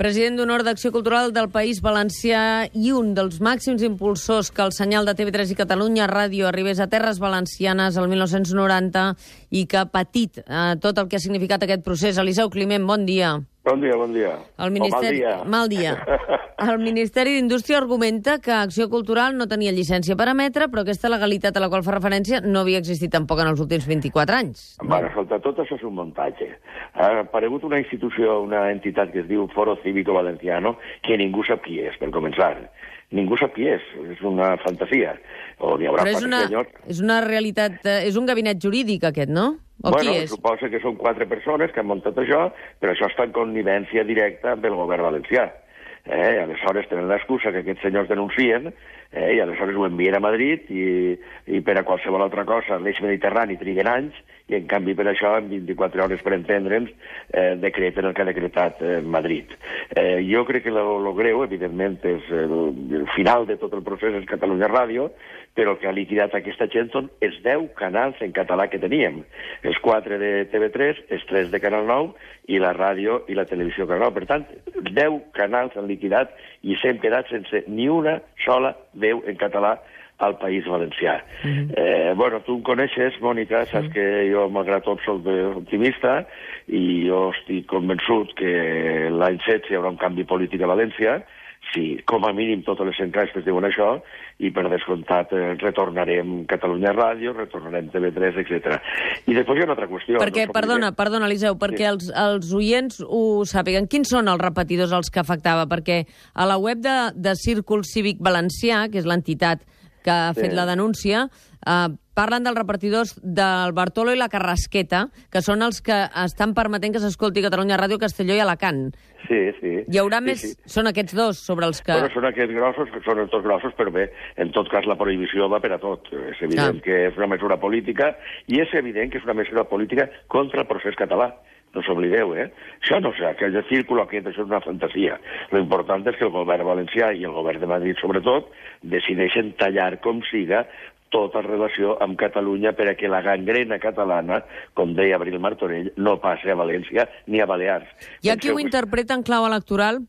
President d'Honor d'Acció Cultural del País Valencià i un dels màxims impulsors que el senyal de TV3 i Catalunya Ràdio arribés a terres valencianes el 1990 i que ha patit tot el que ha significat aquest procés. Eliseu Climent, bon dia. Bon dia, bon dia. El Ministeri... Mal dia. El Ministeri d'Indústria argumenta que Acció Cultural no tenia llicència per emetre, però aquesta legalitat a la qual fa referència no havia existit tampoc en els últims 24 anys. Bueno, escolta, tot això és un muntatge. Ha aparegut una institució, una entitat que es diu Foro Cívico Valenciano, que ningú sap qui és, per començar. Ningú sap qui és una fantasia. O n'hi haurà és una realitat, és un gabinet jurídic aquest, no? O bueno, qui és? Suposa que són 4 persones que han muntat això, però això està en connivència directa amb el govern valencià. Aleshores tenen l'excusa que aquests senyors denuncien i aleshores ho envien a Madrid i per a qualsevol altra cosa l'eix mediterrani triguen anys i en canvi per això en 24 hores per entendre'ns decreten el que ha decretat Madrid. Jo crec que lo greu, evidentment, és el final de tot el procés és Catalunya Ràdio, però el que ha liquidat aquesta gent són els 10 canals en català que teníem. Els 4 de TV3, els 3 de Canal 9 i la ràdio i la televisió Canal 9. Per tant, 10 canals han liquidat i s'hem quedat sense ni una sola veu en català al País Valencià. Bueno, tu em coneixes, Mònica, saps que jo, malgrat tot, soc optimista i jo estic convençut que l'any 16 hi haurà un canvi polític a València, si com a mínim totes les enquestes diuen això, i per descomptat retornarem Catalunya Ràdio, retornarem TV3, etc. I després hi ha una altra qüestió. Perquè, perdona, Eliseu, perquè els oients ho sàpiguen. Quins són els repetidors als que afectava? Perquè a la web de Círcul Cívic Valencià, que és l'entitat que ha fet la denúncia, parlen dels repartidors del Bartolo i la Carrasqueta, que són els que estan permetent que s'escolti Catalunya Ràdio, Castelló i Alacant. Sí, sí. Hi haurà més... Sí. Són aquests dos sobre els que... Bueno, són aquests grossos, són els dos grossos, però bé, en tot cas la prohibició va per a tot. És evident que és una mesura política i és evident que és una mesura política contra el procés català. No s'oblideu, Això no sé, aquell círculo aquest, això és una fantasia. Lo important és que el govern valencià i el govern de Madrid, sobretot, decideixen tallar com siga tota relació amb Catalunya per a que la gangrena catalana, com deia Abril Martorell, no passi a València ni a Balears. Hi ha qui ho interpreta en clau electoral,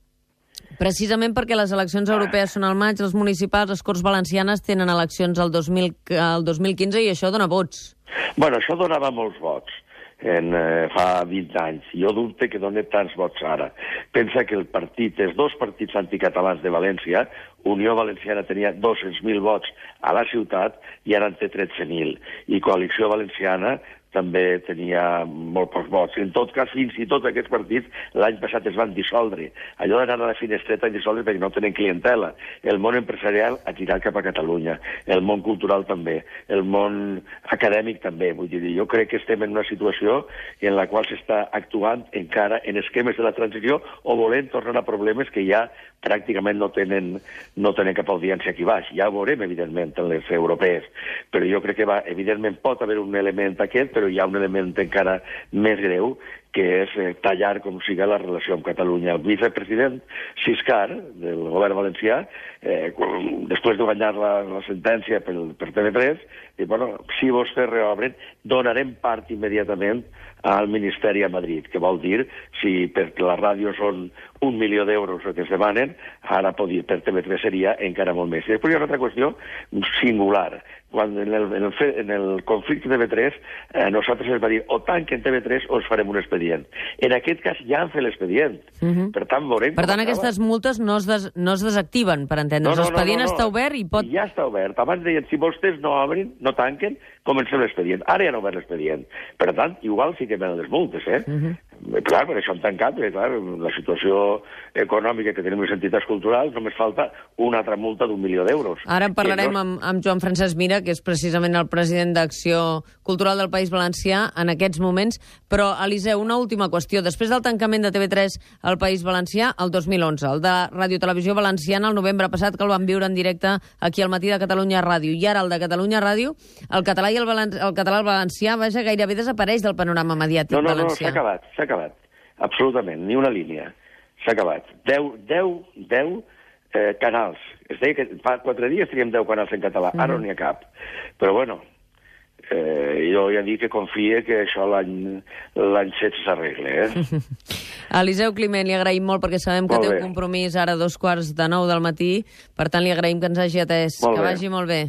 precisament perquè les eleccions europees són al maig, les municipals, les Corts Valencianes tenen eleccions el 2015 i això dona vots. Bueno, això donava molts vots fa 20 anys. Jo dubte que doni tants vots ara. Pensa que els dos partits anticatalans de València, Unió Valenciana tenia 200.000 vots a la ciutat i ara en té 13.000. I Coalició Valenciana també tenia molt pocs vots. En tot cas, fins i tot aquests partits l'any passat es van dissoldre. Allò d'anar a la finestreta i dissoldre perquè no tenen clientela. El món empresarial ha tirat cap a Catalunya, el món cultural també, el món acadèmic també. Vull dir, jo crec que estem en una situació en la qual s'està actuant encara en esquemes de la transició o volent tornar a problemes que ja pràcticament no tenen cap audiència aquí baix. Ja ho veurem, evidentment, en les europees. Però jo crec que evidentment pot haver un element aquest, però hi ha un element encara més greu, que és tallar com siga la relació amb Catalunya. El vicepresident Siscar, del govern valencià, després de guanyar la sentència per TV3, diu, bueno, si vostès reobren, donarem part immediatament al Ministeri a Madrid, que vol dir, si per la ràdio són 1 milió d'euros el que es demanen, ara per TV3 seria encara molt més. I després hi ha una altra qüestió singular. Quan en el conflicte de TV3 nosaltres ens va dir o tanquen TV3 o ens farem un expedient. En aquest cas ja han fet l'expedient. Per tant, veurem... Per tant, aquestes multes no es desactiven, per entendre's. L'expedient està obert i pot... Ja està obert. Abans deien, si vostès no obrin, no tanquen, comencem l'expedient. Ara ja no obert l'expedient. Per tant, igual sí que venen les multes, Clar, per això han tancat, perquè clar, la situació econòmica que tenim les entitats culturals només falta una altra multa d'1 milió d'euros. Ara en parlarem amb Joan Francesc Mira, que és precisament el president d'Acció Cultural del País Valencià en aquests moments. Però, Eliseu, una última qüestió. Després del tancament de TV3 al País Valencià, el 2011, el de Ràdio Televisió Valenciana, el novembre passat, que el van viure en directe aquí al matí de Catalunya Ràdio, i ara el de Catalunya Ràdio, el català i el català al valencià, vaja, gairebé desapareix del panorama mediàtic valencià. No, s'ha acabat. Absolutament, ni una línia. S'ha acabat. 10 canals. Es deia que fa 4 dies teníem 10 canals en català, ara no n'hi ha cap. Però bueno, jo ja dic que confie que això l'any 16 s'arregla. Eliseu Climent, li agraïm molt perquè sabem que té un compromís ara a 2:15 del matí, per tant li agraïm que ens hagi atès. Que vagi molt bé.